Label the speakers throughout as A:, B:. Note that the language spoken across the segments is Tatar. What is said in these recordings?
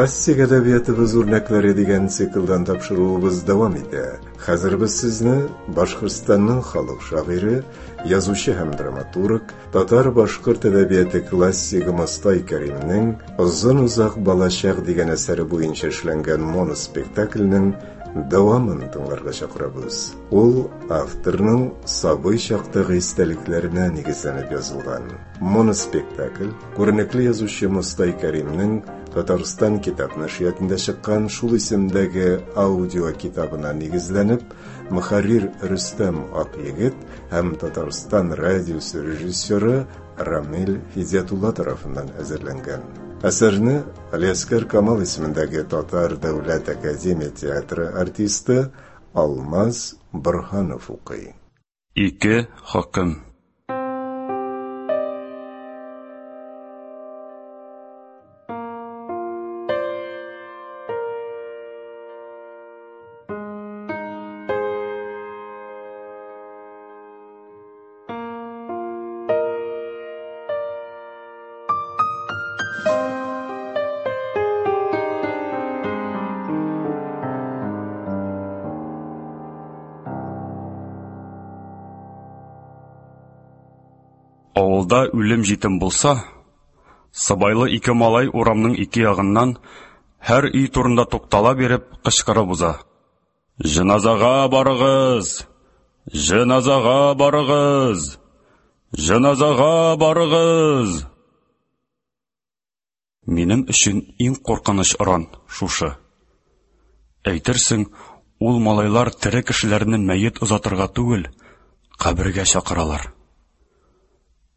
A: Классик әдәбиятыбыз үрнәкләре дигән циклдан тапшыруыбыз дәвам итә. Хәзер без сезне Башкортстанның халык шагыйре, язучы һәм драматург, татар-башкорт әдәбияты классигы Мостай Кәримнең Озын-озак балачак дигән әсәре буенча эшләнгән моноспектакльнең дәвамын тыңларга чакырабыз. Ул авторның сабый чактагы истәлекләренә нигезләнеп язылган. Моноспектакль күренекле язучы Мостай Кәримнең Татарстан китап нәшриятында чыккан шул исемдәге аудио китабына нигезләнеп, мөхәррир Рөстәм Акъегет һәм Татарстан радиосы режиссеры Рамил Фидиятулла тарафыннан әзерләнгән. Әсәрне Алиаскар Камал исемендәге Татар дәүләт академия театры артисты Алмаз Борһанов укый.
B: Ике хөкем. Авылда үлем-җитем булса, сыбайлы ике малай урамның ике ягыннан һәр өй турында туктала биреп кычкырып уза. Җеназага барыгыз! Җеназага барыгыз! Җеназага барыгыз! Минем өчен иң куркыныч оран шушы. Әйтерсең, ул малайлар тере кешеләрне мәет озатырга түгел, кабергә чакыралар.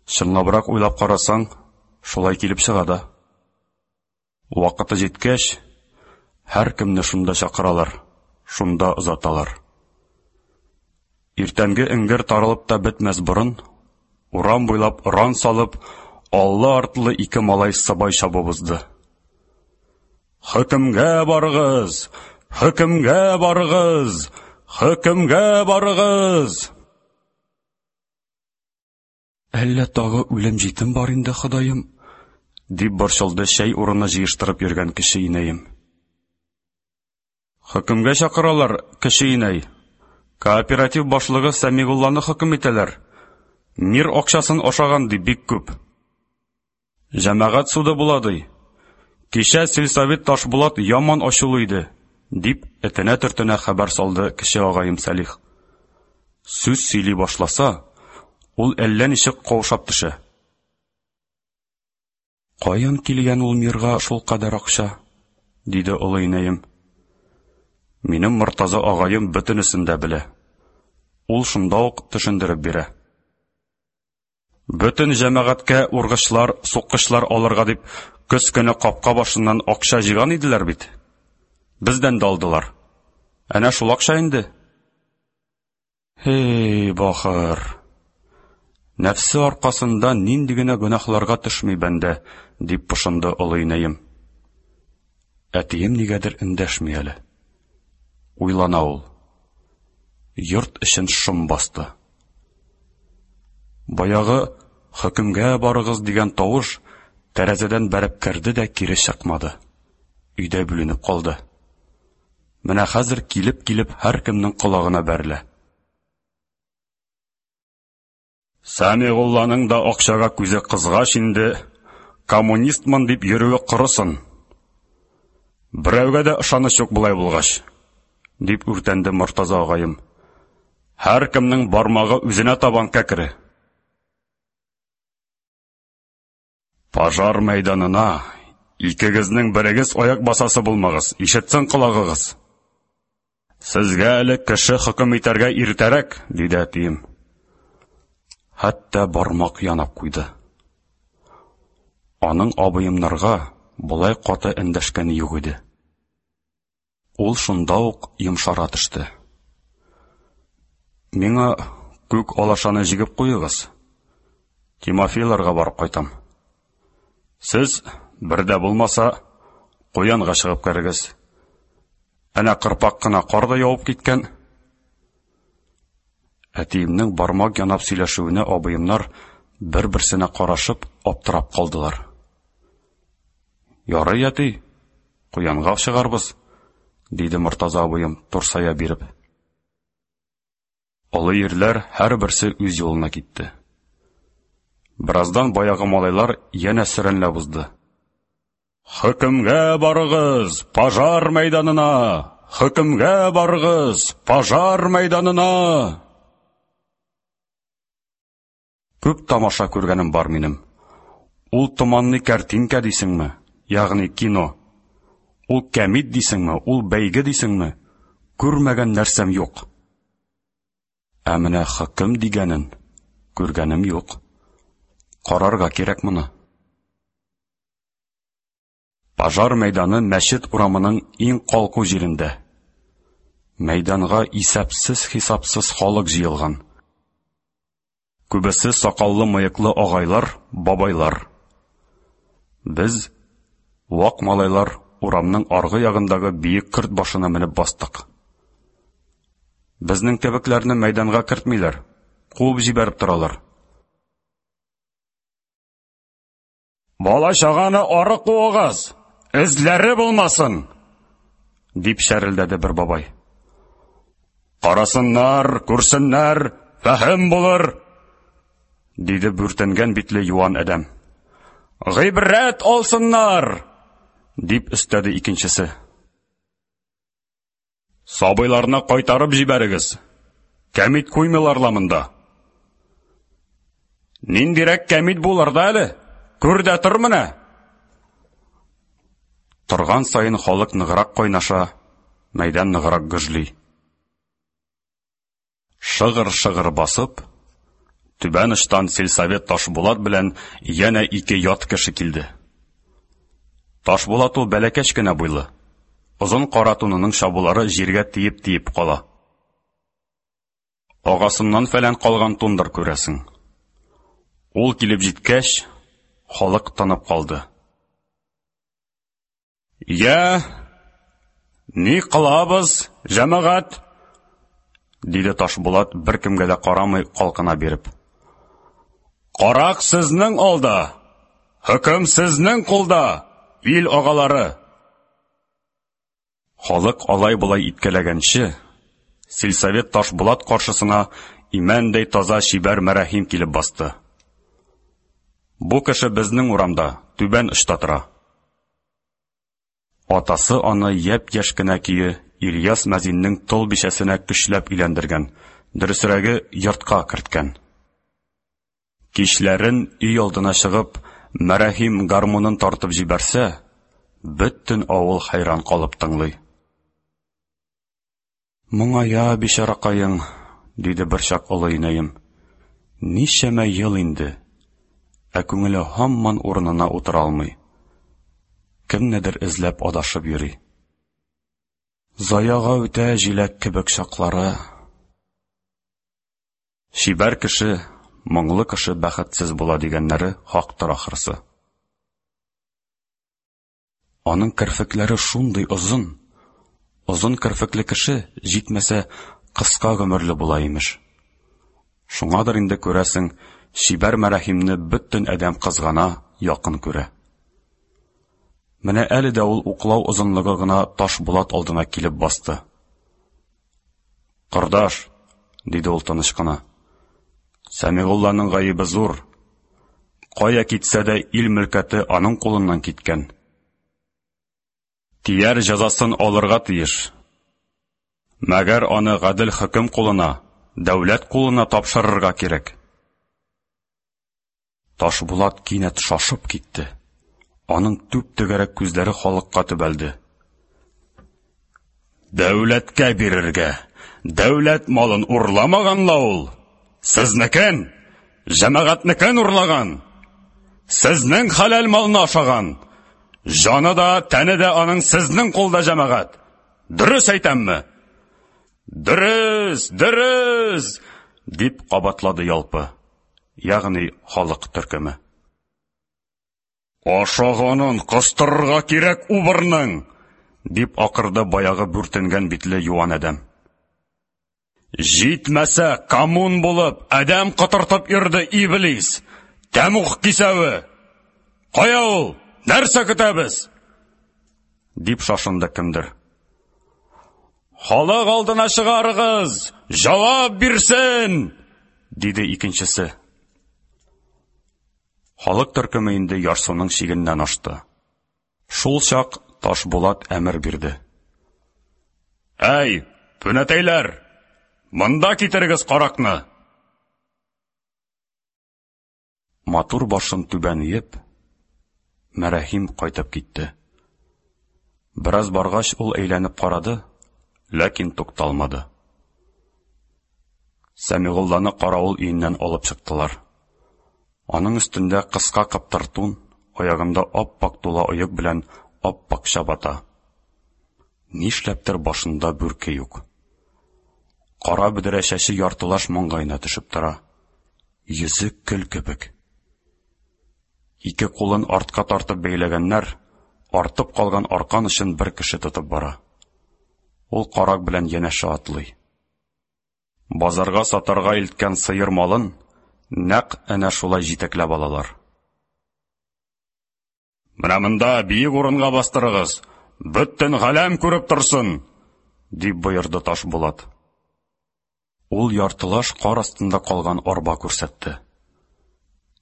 B: Чынлабрак уйлап карасаң, шулай килеп чыга да. Вакыты җиткәч, һәркемне шунда чакыралар, шунда озаталар. Иртәнге эңгер таралып та бетмәс борын, урам буйлап оран салып, аллы-артлы ике малай сыбай чабып узды. Хөкемгә барыгыз! Хөкемгә барыгыз! Хөкемгә барыгыз! Әллә тагы үлем-җитем бар инде, Ходаем? дип борчылды чәй урыны җыештырып йөргән кече инәем. Хөкемгә чакыралар, кече инәй. Кооператив башлыгы Сәмигулланы хөкем итәләр. Мир акчасын ашаган ди бик күп. Җәмәгать суды була ди. Кичә сельсовет Ташбулат яман ачулы иде, дип этенә-төртенә хәбәр салды кече агаем Сәлих. Сүз сөйли башласа, ул әллә ничек каушап төшә. Каян килгән ул мирга шулкадәр акча? диде олы инәем. Минем Мортаза агаем бөтенесен дә белә. Ул шунда ук төшендереп бирә. Бөтен җәмәгатькә ургычлар, суккычлар алырга дип, көз көне капка башыннан акча җыйган иделәр бит. Бездән дә алдылар. Әнә шул акча инде. Һей, бахыр! Нәфсе аркасында нинди генә гөнаһларга төшми бәндә, дип пошынды олы инәем. Әтием нигәдер эндәшми әле. Уйлана ул. Йорт эчен шом басты. Баягы хөкемгә барыгыз дигән тавыш тәрәзәдән бәреп керде дә кире чыкмады. Өйдә бүленеп калды. Менә хәзер килеп-килеп һәркемнең колагына бәрелә. Сәмигулланың да акчага күзе кызгач инде, коммунистмын дип йөрүе корысын. Берәүгә дә ышаныч юк болай булгач, дип үртәнде Мортаза агаем. Һәркемнең бармагы үзенә табан кәкре. Пожар мәйданына икегезнең берегез аяк басасы булмагыз, ишетсен колагыгыз. Сезгә әле кеше хөкем итәргә иртәрәк, диде әтием. Хәтта бармак янап куйды. Аның абыемнарга болай каты эндәшкәне юк иде. Ул шунда ук йомшара төште. Миңа күк алашаны җигеп куегыз. Тимофейларга барып кайтам. Сез, бер дә булмаса, куянга чыгып керегез. Әнә кырпак кына кар да явып киткән. Әтиемнең бармак янап сөйләшүенә абыемнар бер-берсенә карашып аптырап калдылар. Ярый, әти. Куянга чыгарбыз, диде Мортаза абыем, турсая биреп. Олы ирләр һәрберсе үз юлына китте. Бераздан баягы малайлар янә сөрәнләп узды. Хөкемгә барыгыз, пожар мәйданына! Хөкемгә барыгыз, пожар мәйданына! Күп тамаша күргәнем бар минем. Ул томанный картинка дисеңме, ягъни кино. Ул кәмит дисеңме, ул бәйге дисеңме, күрмәгән нәрсәм юк. Ә менә хөкем дигәнен күргәнем юк. Карарга кирәк моны. Пожар мәйданы мәчет урамының иң калку җирендә. Мәйданга исәпсез-хисапсыз халык җыелган. Күбесе сакаллы-мыеклы агайлар, бабайлар. Без, вак малайлар, урамның аргы ягындагы биек көрт башына менеп бастык. Безнең кебекләрне мәйданга кертмиләр, куып җибәреп торалар. Бала-чаганы ары куыгыз, эзләре булмасын! дип чәрелдәде бер бабай. Карасыннар, күрсеннәр, фәһем булыр, диде бүртенгән битле юан адәм. Гыйбрәт алсыннар, дип өстәде икенчесе. Сабыйларны кайтарып җибәрегез. Кәмит куймыйлар ла монда. Ниндирәк кәмит булыр да әле? Күр дә тор менә. Торган саен халык ныграк кайнаша, мәйдан ныграк гөжли. Шыгыр-шыгыр басып, түбән очтан сельсовет Ташбулат белән янә ике ят кеше килде. Ташбулат ул бәләкәч кенә буйлы. Озын кара тунының чабулары җиргә тиеп-тиеп кала. Агасыннан фәлән калган тундыр, күрәсең. Ул килеп җиткәч, халык тынып калды. Я, ни кылабыз, җәмәгать? диде Ташбулат, беркемгә дә карамый калкына биреп. Карак сезнең алда, хөкем сезнең кулда, ил агалары. Халык алай-болай иткәләгәнче, сельсовет Ташбулат каршысына имәндәй таза чибәр Мәрәһим килеп басты. Бу кеше безнең урамда, түбән очта тора. Атасы аны япь-яшь кенә көе Ильяс мәзиннең тол бичәсенә көчләп өйләндергән, дөресрәге, йортка керткән. Кичләрен өй алдына чыгып, Мәрәһим гармунын тартып җибәрсә, бөтен авыл хәйран калып тыңлый. Моңая, бичаракаең, диде берчак олы инәем. Ничәмә ел инде, ә күңеле һаман урынына утыра алмый. Кемнедер эзләп адашып йөри. Заяга үтә җиләк кебек чаклары. Чибәр кеше, моңлы кеше бәхетсез була дигәннәре хактыр ахрысы. Аның керфекләре шундый озын. Озын керфекле кеше, җитмәсә, кыска гомерле була, имеш. Шуңадыр инде, күрәсең, чибәр Мәрәһимне бөтен адәм кызгана, якын күрә. Менә әле дә ул уклау озынлыгы гына таш булат алдына килеп басты. Кордаш, диде ул тыныч кына. Сәмигулланың гаебе зур. Кая китсә дә ил мөлкәте аның кулыннан киткән. Тияр җәзасын алырга тиеш. Мәгәр аны гадел хөкем кулына, дәүләт кулына тапшырырга кирәк. Ташбулат кинәт шашып китте. Аның түп-түгәрәк күзләре халыкка төбәлде. Дәүләткә бирергә! Дәүләт малын урламаган ла ул! Сезнекен, җәмәгатьнекен урлаган! Сезнең хәләл малны ашаган! Җаны да, тәне дә аның сезнең кулда, җәмәгать! Дөрес әйтәмме? Дөрес, дөрес! дип кабатлады ялпы, ягъни халык төркеме. Ашаганын кыстырырга кирәк убырның! дип акырды баягы бүртенгән битле юан адәм. Җитмәсә, коммун булып, адәм котыртып йөрде иблис! Тәмуг кисәве! Кая ул? Нәрсә көтәбез? Дип шашынды кемдер. Халык алдына чыгарыгыз, җавап бирсен! диде икенчесе. Халык төркеме инде ярсуның чигеннән ашты. Шул чак Ташбулат әмер бирде. Әй, пүнәтәйләр! Монда китерегез каракны! Матур башын түбән иеп, Мәрәһим кайтып китте. Бераз баргач, ул әйләнеп карады, ләкин тукталмады. Сәмигулланы каравыл өеннән алып чыктылар. Аның өстендә кыска кыптыр тун, аягында ап-ак тула оек белән ап-ак чабата. Нишләптер башында бүрке юк. Кара бөдрә чәче яртылаш маңгаена төшеп тора. Йөзе көл кебек. Ике кулын артка тартып бәйләгәннәр, артып калган аркан очын бер кеше тотып бара. Ул карак белән янәшә атлый. Базарга сатарга илткән сыер малын нәкъ әнә шулай җитәкләп алалар. Менә монда биек урынга бастырыгыз, бөтен галәм күреп торсын, дип боерды Ташбулат. Ул яртылаш кар астында калган арба күрсәтте.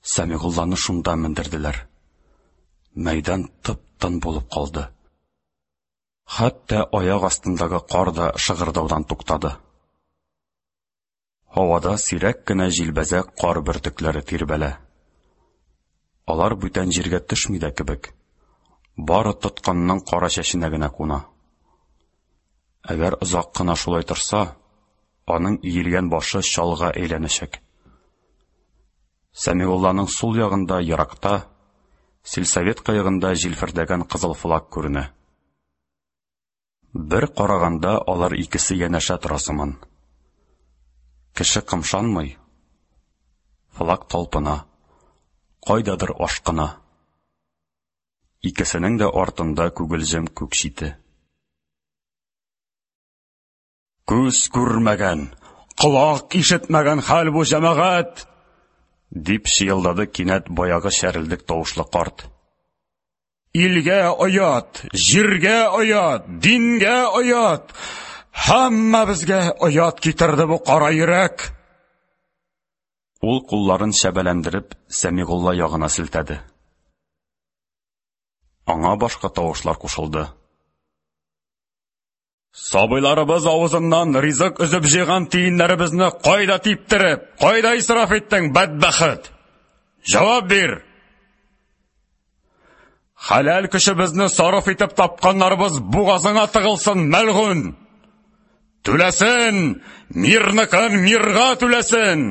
B: Сәмигулланы шунда мендерделәр. Мәйдан тып-тын булып калды. Хәтта аяк астындагы кар да шыгырдаудан туктады. Һавада сирәк кенә җилбәзәк кар бөртекләре тирбәлә. Алар бүтән җиргә төшми дә кебек. Бары тотканның кара чәченә генә куна. Әгәр озак кына шулай торса, аның иелгән башы чалга әйләнәчәк. Сәмигулланың сул ягында еракта, сельсовет кыегында җилфердәгән кызыл флаг күренә. Бер караганда алар икесе янәшә тора сыман. Кеше кымшанмый. Флаг талпына. Кайдадыр ашкына. Икесенең дә артында күгелҗем күк чите. Күз күрмәгән, колак ишетмәгән хәл бу, җәмәгать! дип чыелдады кинәт баягы чәрелдек тавышлы карт. Илгә оят, җиргә оят, дингә оят! Һәммәбезгә оят китерде бу кара йөрәк! Ул кулларын чәбәләндереп Сәмигулла ягына селтәде. Аңа башка тавышлар кушылды. Сабыйларыбыз авызыннан ризык өзеп җыйган тиеннәребезне кайда типтереп, кайда исраф иттең, бәдбәхет? Җавап бир! Хәләл көчебезне сарыф итеп тапканнарыбыз бугазыңа тыгылсын, мәлгун! Түләсен! Мирныкын мирга түләсен!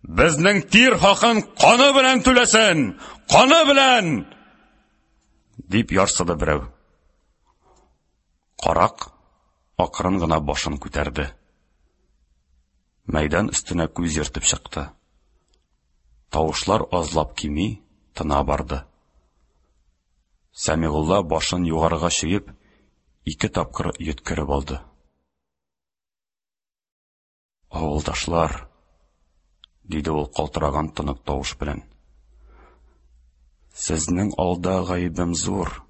B: Безнең тир хакын каны белән түләсен! Каны белән! Дип ярсыды берәү. Карак акрын гына башын күтәрде. Мәйдан өстенә күз йөртеп чыкты. Тавышлар азлап кими, тына барды. Сәмигулла башын югарыга чөеп, ике тапкыр йөткереп алды. Авылдашлар, диде ул калтыраган тонык тавыш белән. Сезнең алда гаебем зур.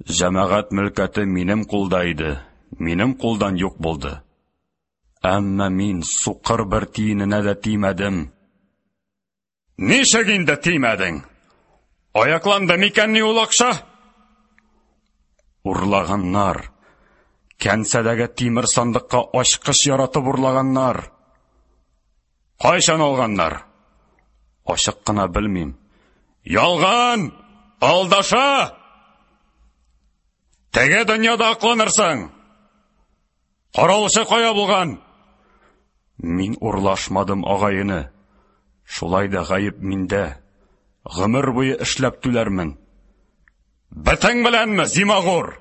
B: Җәмәгать мөлкәте минем кулда иде, минем кулдан юк булды. Әмма мин сукыр бер тиененә дә тимәдем. Ничек инде тимәдең? Аякланды микәнни ул акча? Урлаганнар. Кәнсәдәге тимер сандыкка ачкыч яратып урлаганнар. Кайчан алганнар? Ачык кына белмим. Ялган! Алдаша! Теге дөньяда акланырсың! Каравылчы кая булган? Мин урлашмадым, агай-эне. Шулай да гаеп миндә. Гомер буе эшләп түләрмен. Бетең беләнме, зимагур?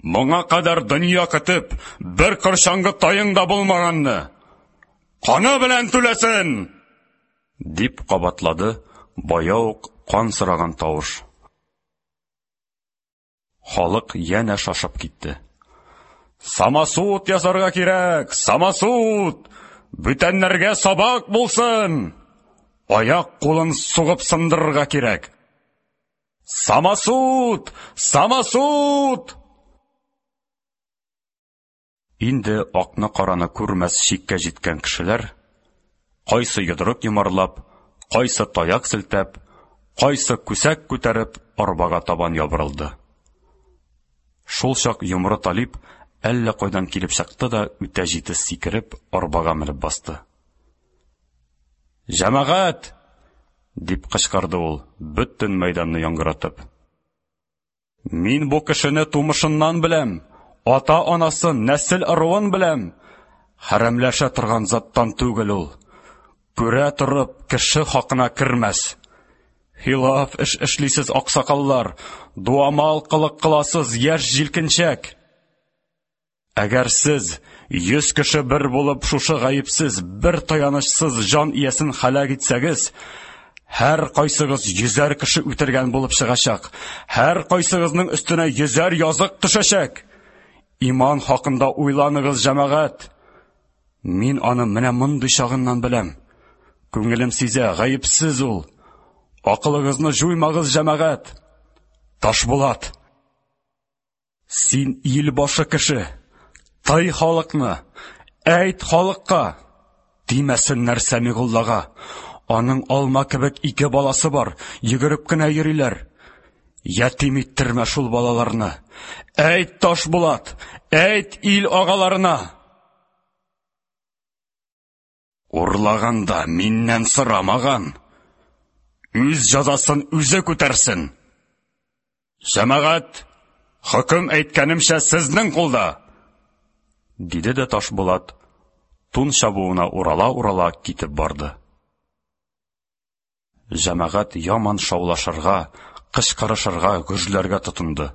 B: Моңа кадәр дөнья көтеп, бер корчаңгы таең да булмаганны. Каны белән түләсен! Дип кабатлады бая ук кан сораган тавыш. Халык янә шашып китте. Самосуд ясарга кирәк, самосуд! Бүтәннәргә сабак булсын! Аяк кулын сугып сындырырга кирәк. Самосуд! Самосуд! Инде акны-караны күрмәс чиккә җиткән кешеләр, кайсы йодрык йомарлап, кайсы таяк селтәп, кайсы күсәк күтәреп, арбага табан ябырылды. Шул чак Йомры Талип әллә кайдан килеп чыкты да үтә җитез сикереп, арбага менеп басты. Җәмәгать! дип кычкырды ул, бөтен мәйданны яңгыратып. Мин бу кешене тумышыннан беләм, ата-анасын, нәсел-ыруын беләм. Хәрәмләшә торган заттан түгел ул. Күрә торып, кеше хакына кермәс. Хилаф эш эшлисез, аксакаллар, дуамал кылык кыласыз, яшь җилкенчәк. Әгәр сез, йөз кеше бер булып, шушы гаепсез, бер таянычсыз җан иясен һәлак итсәгез, һәр кайсыгыз йөзәр кеше үтергән булып чыгачак, һәр кайсыгызның өстенә йөзәр язык төшәчәк. Иман хакында уйланыгыз, җәмәгать. Мин аны менә мондый чагыннан беләм. Күңелем сизә, гаепсез ул. Акылыгызны җуймагыз, җәмәгать. Ташбулат, син ил башы кеше. Тый халыкны, әйт халыкка. Тимәсеннәр Сәмигуллага. Аның алма кебек ике баласы бар, йөгереп кенә йөриләр. Ятим иттермә шул балаларны. Әйт, Ташбулат, әйт ил агаларына. Урлаганда миннән сорамаган. Үз җәзасын үзе күтәрсен. Җәмәгать, хөкем әйткәнемчә сезнең кулда. Диде дә Ташбулат, тун чабуына урала-урала китеп барды. Җәмәгать яман шаулашырга, кычкырышырга, гөжләргә тотынды.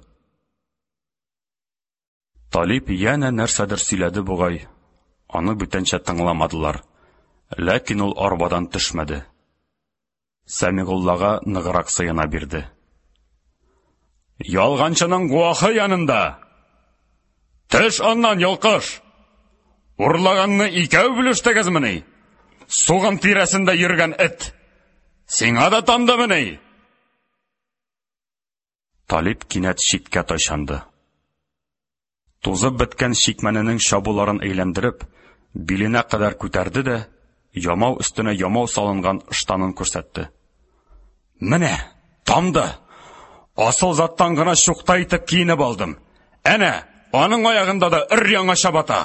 B: Талип янә нәрсәдер сөйләде бугай, аны бүтәнчә тыңламадылар. Ләкин ул арбадан төшмәде. Сәмигуллага ныграк сыена бирде. Ялганчының гуахы янында! Төш аннан, йолкыш! Урлаганны икәү бүлештегезмени? Сугым тирәсендә йөргән эт! Сиңа да тамдымыни? Талип кинәт читкә тайчанды. Тузып беткән чикмәненең чабуларын әйләндереп, биленә кадәр күтәрде дә, ямау өстенә ямау салынган ыштанын күрсәтте. Менә, тамды! Асыл заттан гына чукта итеп киенеп алдым. Әнә, аның аягында да өр-яңа чабата!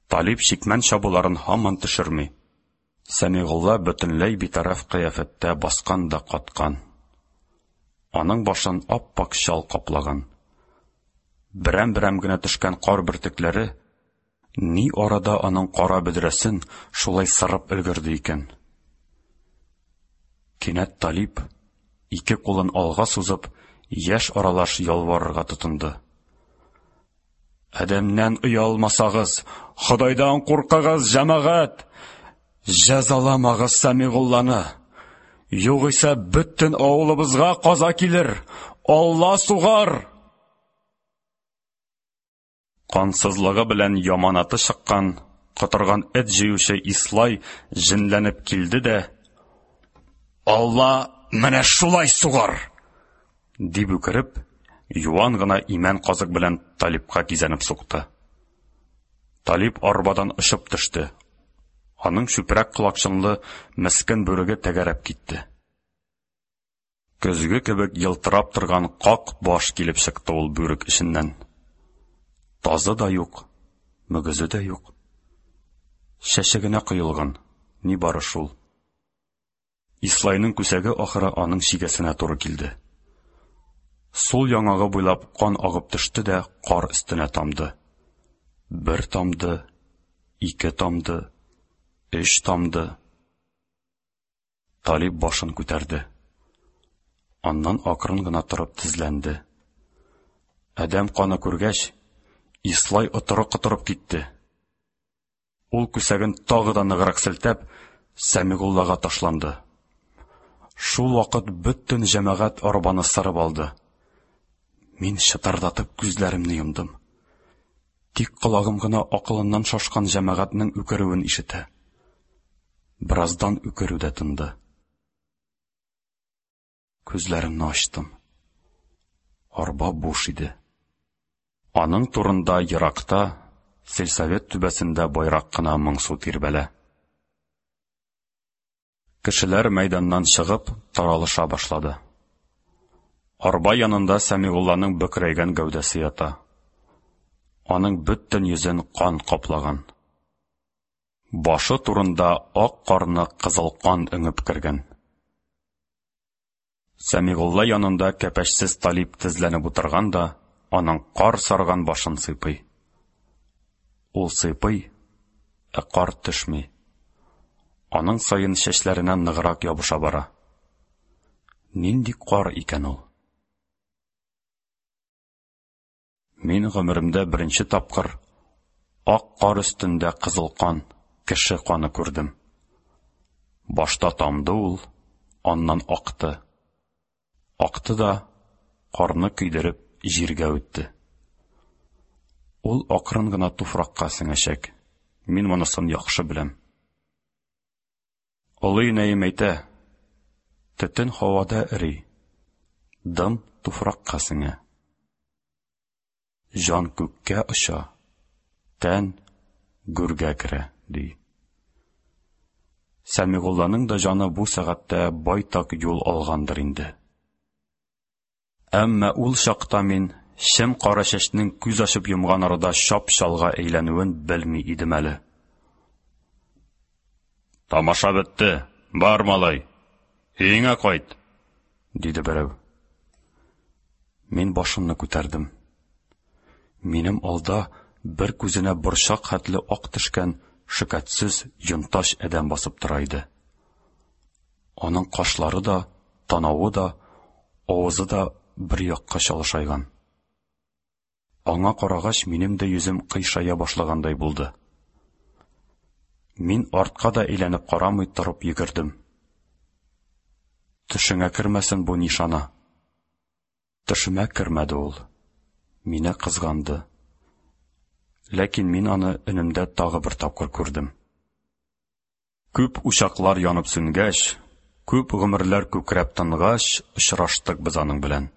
B: Талип чикмән чабуларын һаман төшерми. Сәмигулла бөтенләй битараф кыяфәттә баскан да каткан. Аның башын ап-ак чал каплаган. Берәм-берәм генә төшкән кар бөртекләре ни арада аның кара бөдрәсен шулай сырып өлгерде икән? Кинәт Талип, ике кулын алга сузып, яшь аралаш ялварырга тотынды. Адәмнән оялмасагыз, Ходайдан куркыгыз, җәмәгать! Җәзаламагыз Сәмигулланы! Югыйсә бөтен авылыбызга каза килер, Алла сугар! Кансызлыгы белән яманаты чыккан, котырган эт җыючы Ислай җенләнеп килде дә, Алла менә шулай сугар! Дип үкереп, юан гына имән казык белән Талипка кизәнеп сукты. Талип арбадан очып төште. Аның чүпрәк колакчынлы мескен бүреге тәгәрәп китте. Көзге кебек елтырап торган как баш килеп чыкты ул бүрек эченнән. Тазы да юк, мөгезе дә юк. Чәче генә коелган, нибары шул. Ислайның күсәге ахыры аның чигәсенә туры килде. Сул яңагы буйлап кан агып төште дә кар өстенә тамды. Бер тамды, ике тамды, өч тамды. Талип башын күтәрде. Аннан акрын гына торып тезләнде. Адәм каны күргәч, Ислай отыры котырып китте. Ул күсәген тагы да ныграк селтәп, Сәмигуллага ташланды. Шул вакыт бөтен җәмәгать арбаны сырып алды. Мин чытырдатып күзләремне йомдым. Тик колагым гына акылыннан шашкан җәмәгатьнең үкерүен ишетә. Бераздан үкерү дә тынды. Күзләремне ачтым. Арба буш иде. Аның турында еракта, сельсовет түбәсендә байрак кына моңсу тирбәлә. Кешеләр мәйданнан чыгып, таралыша башлады. Арба янында Сәмигулланың бөкрәйгән гәүдәсе ята. Аның бөтен йөзен кан каплаган. Башы турында ак карны кызыл кан өңеп кергән. Сәмигулла янында кәпәчсез Талип тезләнеп утырган да, аның кар сарган башын сыйпый. Ул сыйпый, ә кар төшми. Аның саен чәчләренә ныграк ябыша бара. Нинди кар икән ул? Мин гомеремдә беренче тапкыр ак кар өстендә кызыл кан, кеше каны күрдем. Башта тамды ул, аннан акты. Акты да, карны көйдереп, җиргә үтте. Ул акрын гына туфракка сеңәчәк. Мин монысын яхшы беләм. Олы инәем әйтә, төтен һавада эри, дым туфракка сеңә. Җан күккә оча, тән гүргә керә, ди. Сәмигулланың да җаны бу сәгатьтә байтак юл алгандыр инде. Әмма ул чакта мин чем кара чәчнең күз ачып йомган арада чап-чалга әйләнүен белми идем әле. Тамаша бетте, бар, малай, өеңә кайт, диде берәү. Мин башымны күтәрдем. Минем алда бер күзенә борчак хәтле ак төшкән шөкәтсез йонтач адәм басып тора иде. Аның кашлары да, танавы да, авызы да бер якка чалышайган. Аңа карагач, минем дә йөзем кыйшая башлагандай булды. Мин артка да әйләнеп карамый торып йөгердем. Төшеңә кермәсен бу нишана. Төшемә кермәде ул. Мине кызганды. Ләкин мин аны өнемдә тагы бер тапкыр күрдем. Күп учаклар янып сүнгәч, күп гомерләр күкрәп тынгач, очраштык без аның белән.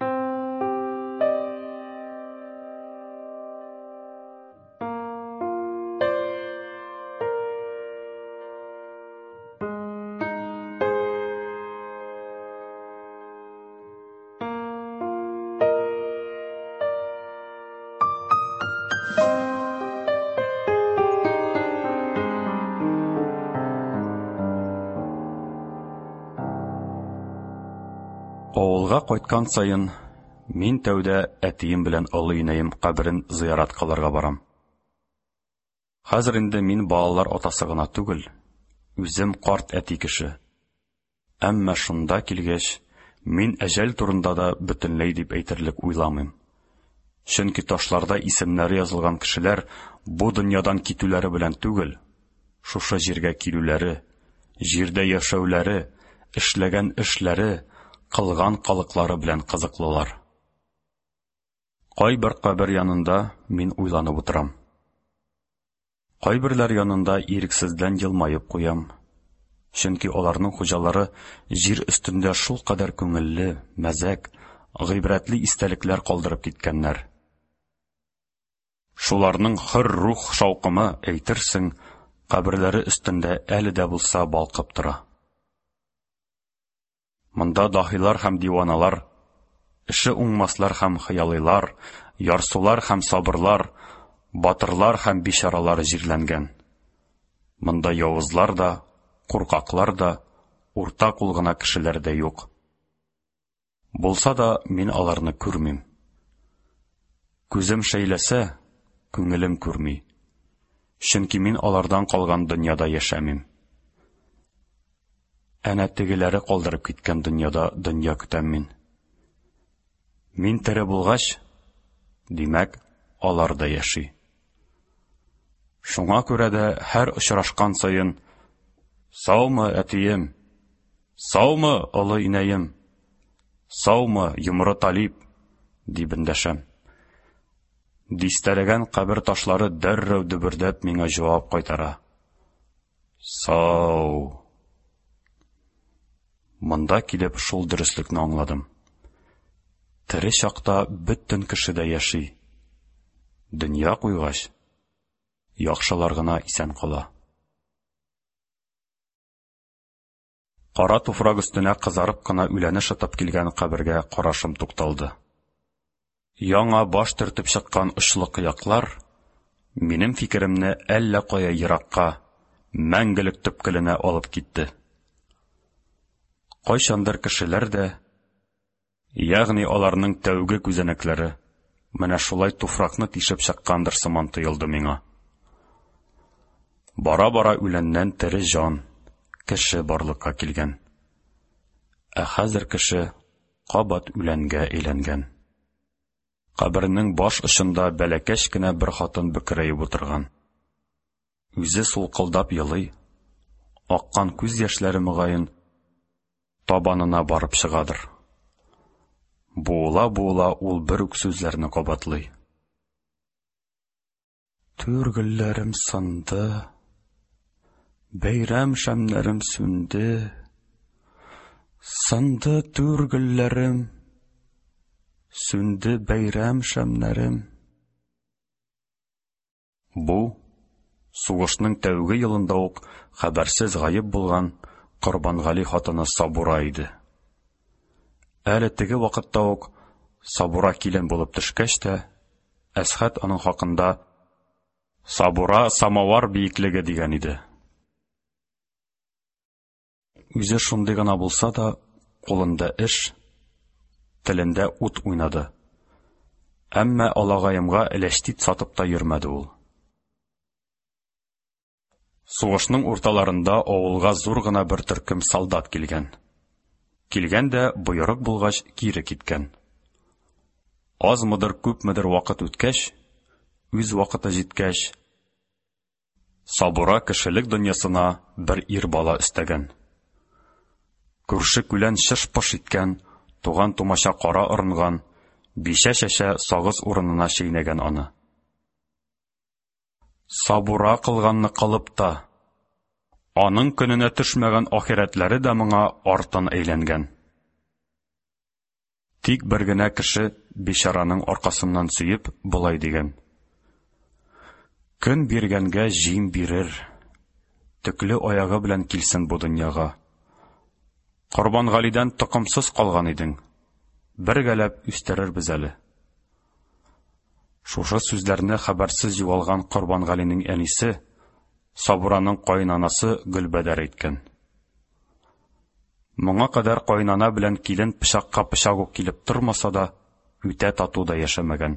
B: Авылга кайткан саен мин тәүдә әтием белән олы инәем каберен зыярат кылырга барам. Хәзер инде мин балалар атасы гына түгел, үзем карт әти кеше. Әмма шунда килгәч, мин әҗәл турында да бөтенләй дип әйтерлек уйламыйм. Чөнки ташларда исемнәре язылган кешеләр бу дөньядан китүләре белән түгел, шушы җиргә килүләре, җирдә яшәүләре, эшләгән эшләре, кылган кылыклары белән кызыклылар. Кайбер кабер янында мин уйланып утырам. Кайберләр янында ирексездән елмаеп куям. Чөнки аларның хуҗалары җир өстендә шулкадәр күңелле, мәзәк, гыйбрәтле истәлекләр калдырып киткәннәр. Шуларның хөр рух шаукымы, әйтерсең, каберләре өстендә әле дә булса балкып тора. Монда даһилар һәм диваналар, эше уңмаслар һәм хыялыйлар, ярсулар һәм сабырлар, батырлар һәм бичаралар җирләнгән. Монда явызлар да, куркаклар да, урта кул гына кешеләр дә юк. Булса да, мин аларны күрмим. Күзем шәйләсә, күңелем күрми. Чөнки мин алардан калган дөньяда яшәмим. Әнә тегеләре калдырып киткән дөньяда дөнья көтәм мин. Мин тере булгач, димәк, алар да яши. Шуңа күрә дә һәр очрашкан саен «Саумы, әтием? Саумы, олы инәем? Саумы, йомры Талип?» дип эндәшәм. Дистәләгән кабер ташлары дәррәү дөбердәп миңа җавап кайтара. Сау. Монда килеп шул дөреслекне аңладым. Тере чакта бөтен кеше дә яши. Дөнья куйгач, яхшылар гына исән кала. Кара туфрак өстенә кызарып кына үләне шытып килгән кабергә карашым тукталды. Яңа баш төртеп чыккан очлы кыяклар минем фикеремне әллә кая еракка, мәңгелек төпкеленә алып китте. Кайчандыр кешеләр дә, ягъни аларның тәүге күзәнәкләре, менә шулай туфракны тишеп чыккандыр сыман тоелды миңа. Бара-бара үләннән тере җан, кеше барлыкка килгән. Ә хәзер кеше кабат үләнгә әйләнгән. Кабернең баш очында бәләкәч кенә бер хатын бөкрәеп утырган. Үзе сулкылдап елый, аккан күз яшьләре мөгаен табанына барып чыгадыр. Буыла-буыла ул бер үк сүзләрне кабатлый. Түр гөлләрем сынды, бәйрәм шәмнәрем сүнде. Сынды түр гөлләрем, сүнде бәйрәм шәмнәрем. Бу, сугышның тәүге елында ук хәбәрсез гаеп булган Корбангали хатыны Сабура иде. Әле теге вакытта ук Сабура килен булып төшкәч тә, Әсхәт аның хакында Сабура самовар биеклеге дигән иде. Үзе шундый гына булса да, кулында эш, телендә ут уйнады. Әмма алагаемга эләчтит сатып та йөрмәде ул. Сугышның урталарында авылга зур гына бер төркем солдат килгән. Килгән дә, боерык булгач, кире киткән. Азмыдыр, күпмедер вакыт үткәч, үз вакыты җиткәч, Сабура кешелек дөньясына бер ир бала өстәгән. Күрше-күлән чыш-пыш иткән, туган-тумача кара орынган, бичә-чәчә сагыз урынына чәйнәгән аны. Сабура кылганны кылып та, аның көненә төшмәгән ахирәтләре дә моңа артын әйләнгән. Тик бер генә кеше бичараның аркасыннан сөеп, болай дигән. Көн биргәнгә җим бирер. Төкле аягы белән килсен бу дөньяга. Корбангалидән токымсыз калган идең. Бергәләп үстерербез әле. Шушы сүзләрне хәбәрсез югалган Корбангалинең әнисе, Сабураның каенанасы Гөлбәдәр әйткән. Моңа кадәр каенана белән килен пычакка пычак ук килеп тормаса да, үтә тату да яшәмәгән.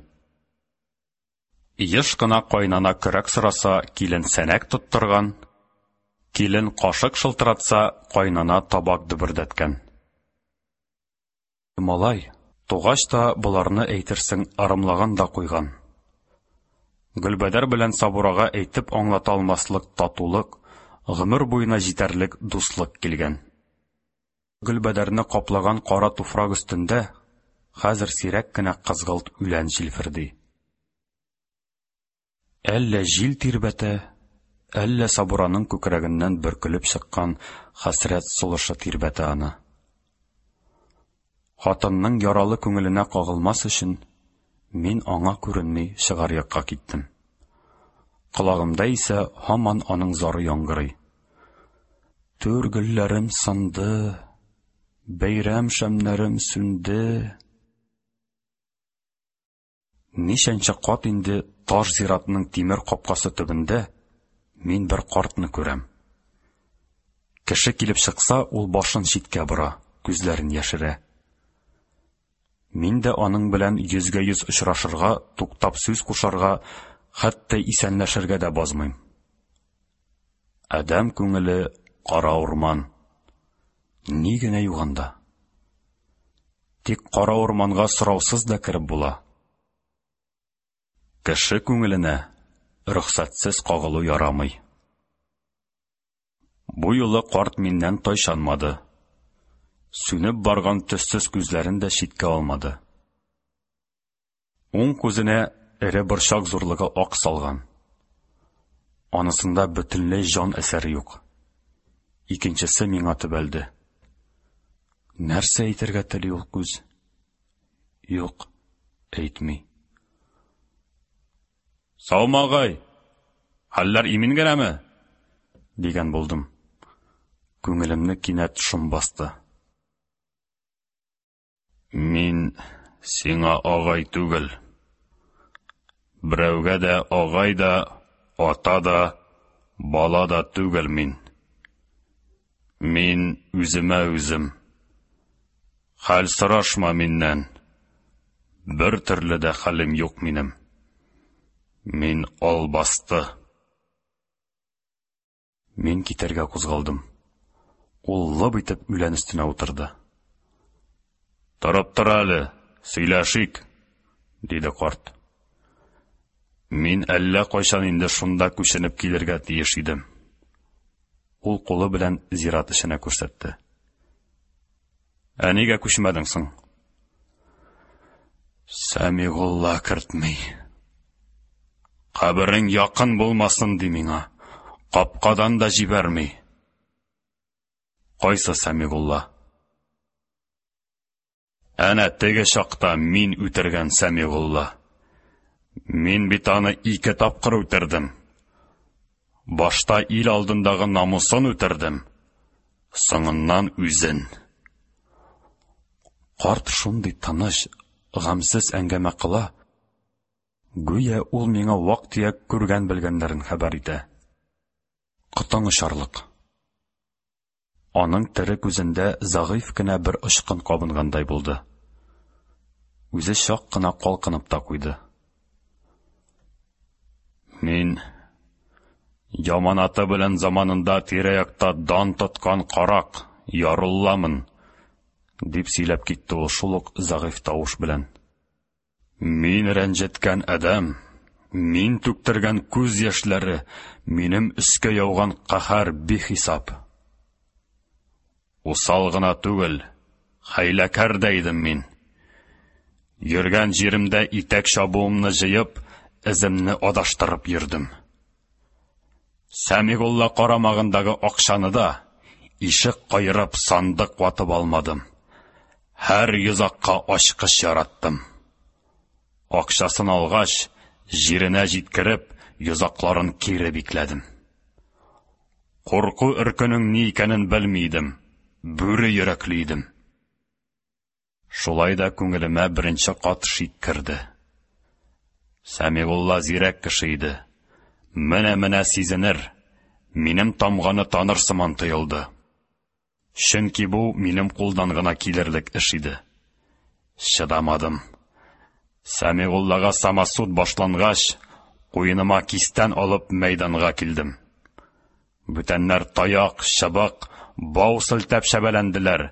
B: Еш кына каенана көрәк сораса, килен сәнәк тоттырган, килен кашык шылтыратса, каенана табак дөбердәткән. Малай, тугач та боларны әйтерсең ырымлаган да куйган. Гөлбәдәр белән Сабурага әйтеп аңлата алмаслык татулык, гомер буена җитәрлек дуслык килгән. Гөлбәдәрне каплаган кара туфрак өстендә хәзер сирәк кенә кызгылт үлән җилферди. Әллә җил тирбәтә, әллә Сабураның күкрәгеннән бөркелеп чыккан хәсрәт сулышы тирбәтә аны. Хатынның яралы күңеленә кагылмас өчен, мин аңа күренми чыгар якка киттем. Колагымда исә һаман аның зары яңгырый. Түр гөлләрем сынды, бәйрәм шәмнәрем сүнде. Ничәнче кат инде таш зиратның тимер капкасы төбендә мин бер картны күрәм. Кеше килеп чыкса, ул башын читкә бора, күзләрен яшерә. Мин дә аның белән йөзгә-йөз очрашырга, туктап сүз кушарга, хәтта исәнләшергә дә базмыйм. Адәм күңеле кара урман. Ни генә юк анда. Тик кара урманга сораусыз да кереп була. Кеше күңеленә рөхсәтсез кагылу ярамый. Бу юлы карт миннән тайчанмады. Сүнеп барган төссез күзләрен дә читкә алмады. Уң күзенә эре борчак зурлыгы ак салган. Анысында бөтенләй җан әсәре юк. Икенчесе миңа төбәлде. Нәрсә әйтергә тели ул күз? Юк, әйтми. Саумы, агай? Хәлләр имин генәме? Дигән булдым. Күңелемне кинәт шом басты. Мин сиңа агай түгел. Берәүгә дә агай да, ата да, бала да түгел мин. Мин үземә үзем. Хәл сорашма миннән. Бер төрле дә хәлем юк минем. Мин албасты. Мин китәргә кузгалдым. Ул лып итеп үлән өстенә утырды. Торып тор әле, сөйләшик, диде карт. Мин әллә кайчан инде шунда күченеп килергә тиеш идем. Ул кулы белән зират эченә күрсәтте. Ә нигә күчмәдең соң? Сәмигулла кертми. Каберең якын булмасын, ди миңа. Капкадан да җибәрми. Кайсы Сәмигулла? Әнә теге чакта мин үтергән Сәмигулла. Мин бит аны ике тапкыр үтердем. Башта ил алдындагы намусын үтердем, соңыннан үзен. Карт шундый тыныч, гамьсез әңгәмә кыла, гүя ул миңа вак-төяк күргән-белгәннәрен хәбәр итә. Котың очарлык. Аның тере күзендә зәгыйфь кенә бер очкын кабынгандай булды. Үзе чак кына калкынып та куйды. Мин яманаты белән заманында тирә-якта дан тоткан карак, Ярулламын, дип сөйләп китте ул шул ук зәгыйфь тавыш белән. Мин рәнҗеткән адәм, мин түктергән күз яшьләре, минем өскә яуган каһәр бихисап. Усал гына түгел, хәйләкәр дә идем мин. Йөргән җиремдә итәк чабуымны җыеп, эземне адаштырып йөрдем. Сәмигулла карамагындагы акчаны да, ишек каерып, сандык ватып алмадым. Һәр йозакка ачкыч яраттым. Акчасын алгач, җиренә җиткереп, йозакларын кире бикләдем. Курку-өркүнең ни икәнен белми идем, бүре йөрәкле идем. Шулай да күңелемә беренче кат шик керде. Сәмигулла зирәк кеше иде. Менә-менә сизенер, минем тамганы таныр сыман тоелды. Чөнки бу минем кулдан гына килерлек эш иде. Чыдамадым. Сәмигуллага самосуд башлангач, куеныма кистән алып мәйданга килдем. Бүтәннәр таяк, чыбык, бау селтәп чәбәләнделәр.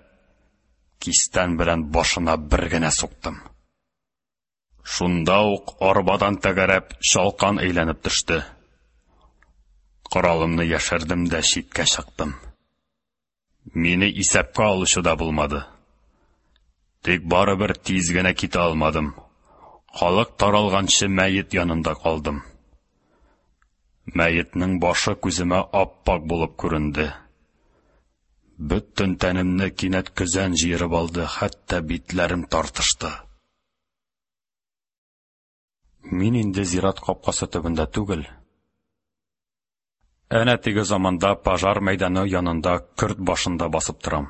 B: Кистән белән башына бер генә суктым. Шунда ук арбадан тәгәрәп чалкан әйләнеп төште. Коралымны яшердем дә читкә чыктым. Мине исәпкә алучы да булмады. Тик барыбер тиз генә китә алмадым. Халык таралганчы мәет янында калдым. Мәетнең башы күземә ап-ак булып күренде. Бөтен тәнемне кинәт көзән җыерып алды, хәтта битләрем тартышты. Мин инде зират капкасы төбендә түгел, әнә теге заманда пожар мәйданы янында көрт башында басып торам.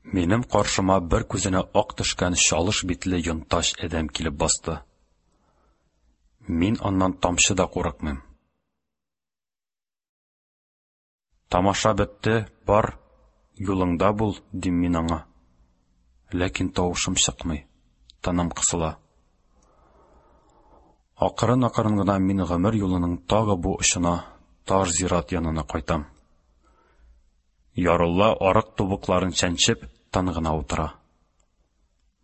B: Минем каршыма бер күзенә ак төшкән чалыш битле йонтач адәм килеп басты. Мин аннан тамчы да курыкмыйм. Тамаша бетте, бар, юлыңда бул, дим мин аңа. Ләкин тавышым чыкмый, тыным кысыла. Акрын-акрын гына мин гомер юлының тагы бу очына, тар зират янына кайтам. Ярулла арык тубыкларын чәнчеп, тын гына утыра.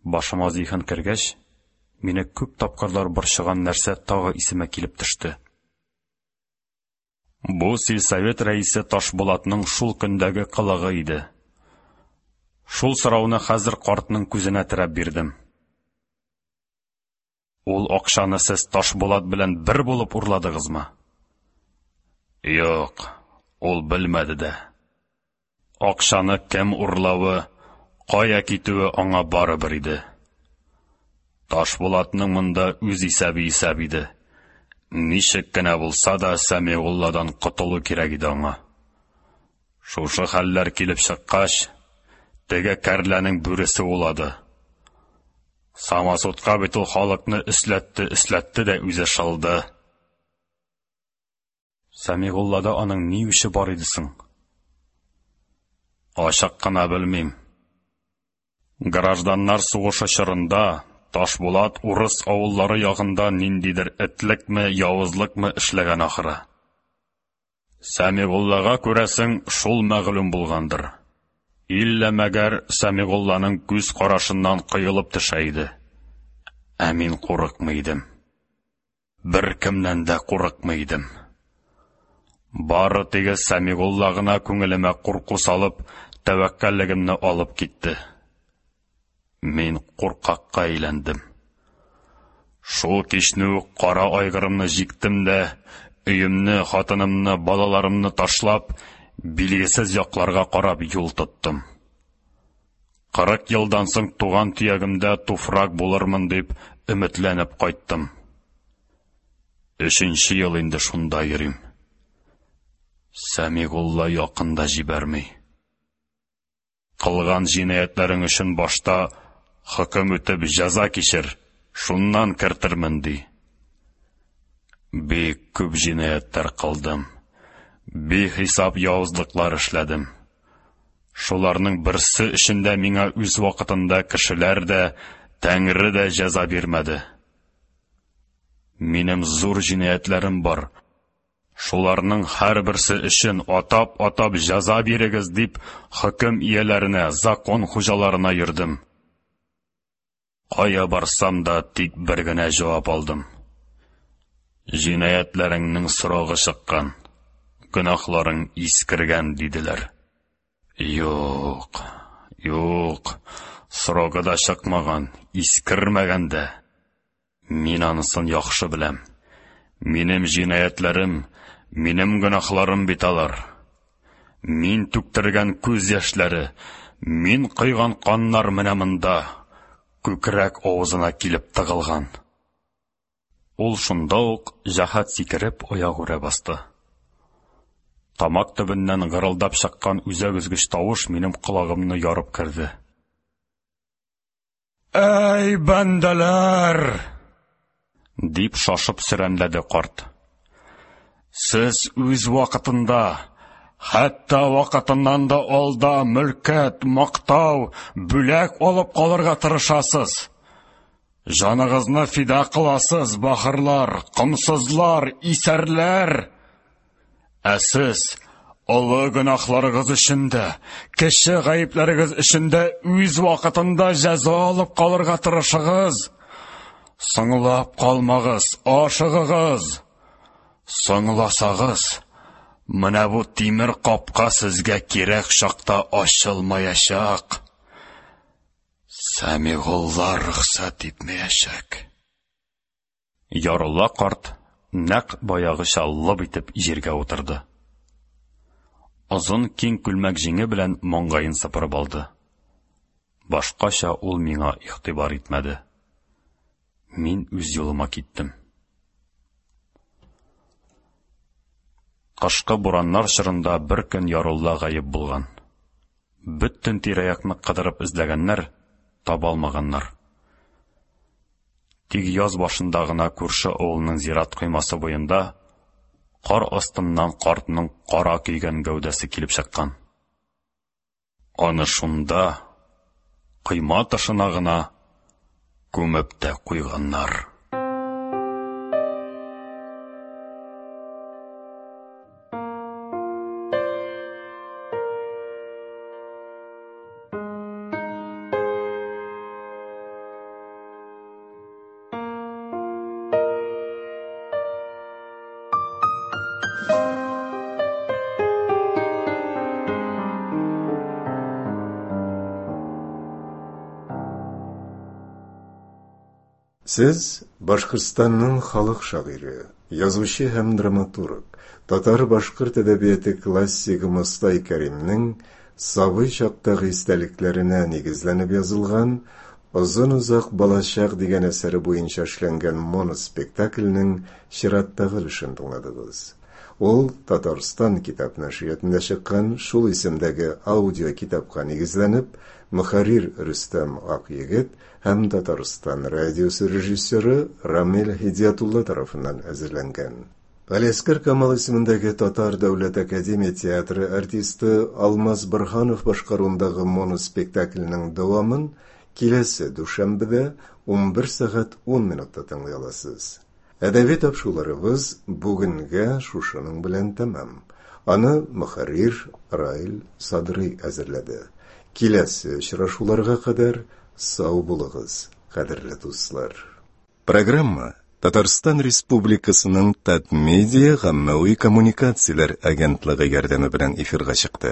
B: Башыма зиһен кергәч, мине күп тапкырлар борчыган нәрсә тагы исемә килеп төште. Бу сельсовет рәисе Ташбулатның шул көндәге кылыгы иде. Шул сорауны хәзер картның күзенә терәп бирдем. Ул акчаны сез Ташбулат белән бер булып урладыгызмы? Юк, ул белмәде дә. Акчаны кем урлавы, кая китүе аңа барыбер иде. Ташбулатның монда үз исәбе исәп иде. Ничек кенә булса да Сәмигулладан котылу кирәк иде аңа. Шушы хәлләр килеп чыккач, теге кәрләнең бүресе улады. Самосудка бит ул халыкны өсләтте-өсләтте дә үзе шылды. Сәмигуллада аның ни үче бар иде соң? Ачык кына белмим. Гражданнар сугышы чорында Ташбулат урыс авыллары ягында ниндидер этлекме, явызлыкмы эшләгән ахры. Сәмигуллага, күрәсең, шул мәгълүм булгандыр. Иллә мәгәр Сәмигулланың күз карашыннан коелып төшә иде. Ә мин курыкмый идем. Беркемнән дә курыкмый идем. Бары теге Сәмигулла гына күңелемә курку салып, тәвәккәллегемне алып китте. Мин куркакка әйләндем. Шул кичне үк кара айгырымны җиктем дә, өемне, хатынымны, балаларымны ташлап, билгесез якларга карап юл тоттым. 40 елдан соң туган төягемдә туфрак булырмын дип өметләнеп кайттым. Өченче ел инде шунда йөрим. Сәмигулла якын да җибәрми. Кылган җинаятьләрең өчен башта хөкем үтеп җәза кичер, шуннан кертермен, ди. Бик күп җинаятьләр кылдым. Бихисап явызлыклар эшләдем. Шуларның берсе өчен дә миңа үз вакытында кешеләр дә, Тәңре дә җәза бирмәде. Минем зур җинаятьләрем бар. Шуларның һәрберсе өчен атап-атап җәза бирегез дип, хөкем ияләренә, закон хуҗаларына йөрдем. Кая барсам да, тик бер генә җавап алдым. Җинаятьләреңнең срогы чыккан, гөнаһларың искергән, диделәр. Юк, юк, срогы да чыкмаган, искермәгән дә. Мин анысын яхшы беләм. Минем җинаятьләрем, минем гөнаһларым бит алар. Мин түктергән күз яшьләре, мин койган каннар менә монда, күкрәк авызына килеп тыгылган. Ул шунда ук җәһәт сикереп аягүрә басты. Тамак төбеннән гырылдап чыккан үзәк өзгеч тавыш минем колагымны ярып керде. Әй, бәндәләр! дип шашып сөрәнләде карт. Сез үз вакытында, хәтта вакытыннан да алда мөлкәт, мактау, бүләк алып калырга тырышасыз. Җаныгызны фида кыласыз, бахырлар, комсызлар, исәрләр! Ә сез олы гөнаһларыгыз өчен дә, кече гаепләрегез өчен дә үз вакытында җәза алып калырга тырышыгыз. Соңлап калмагыз, ашыгыгыз. Соңласагыз, менә бу тимер капка сезгә кирәк чакта ачылмаячак. Сәмигулла рөхсәт итмәячәк. Ярулла карт нәкъ баягыча лып итеп җиргә утырды. Озын киң күлмәк җиңе белән маңгаен сыпырып алды. Башкача ул миңа игътибар итмәде. Мин үз юлыма киттем. Кышкы бураннар чорында бер көн Ярулла гаеп булган. Бөтен тирә-якны кыдырып эзләгәннәр, таба алмаганнар. Тик яз башында гына күрше авылның зират коймасы буенда кар астыннан картның кара көйгән гәүдәсе килеп чыккан. Аны шунда, койма тышына гына күмеп тә куйганнар.
A: Сез Башкортстанның халык шагыйре, язучы һәм драматург, татар-башкорт әдәбияты классигы Мостай Кәримнең сабый чактагы истәлекләренә нигезләнеп язылган Озын-озак балачак дигән әсәре буенча эшләнгән моноспектакльнең чираттагы өлешен тыңладыгыз. Ул Татарстан китап нәшриятында чыккан шул исемдәге аудиокитапка нигезләнеп, мөхәррир Рөстәм Акъегет һәм Татарстан радиосы режиссеры Рамил Һидиятулла тарафыннан әзерләнгән. Галиәсгар Камал исемендәге Татар дәүләт академия театры артисты Алмаз Борһанов башкаруындагы моноспектакльнең дәвамын киләсе дүшәмбедә 11 сәгать 10 минутта тыңлый аласыз. Әдәби тапшыруларыбыз бүгенгә шушының белән тәмам. Аны мөхәррир Раил Садрый әзерләде. Киләсе очрашуларга кадәр сау булыгыз, кадерле дуслар. Программа Татарстан Республикасының Татмедиа гаммәви коммуникацияләр агентлыгы ярдәме белән эфирга чыкты.